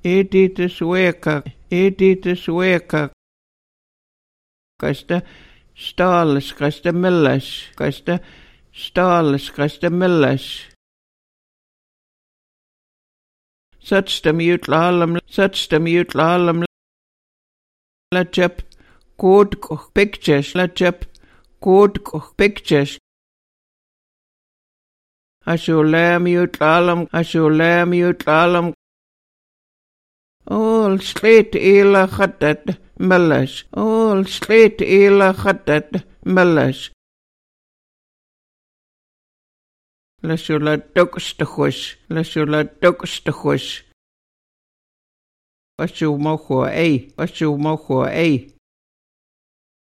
Edithus weka. Kasta staalis, kasta millas, kasta staalis, kasta millas. Satstam jutlahallam, lachap, koodkoh pictures, lachap, koodkoh pictures. Ashulam jutlahallam. All slate ila khatat millas. All slate ila khatat millas. Lashula dokstachus. Washu mocho ei.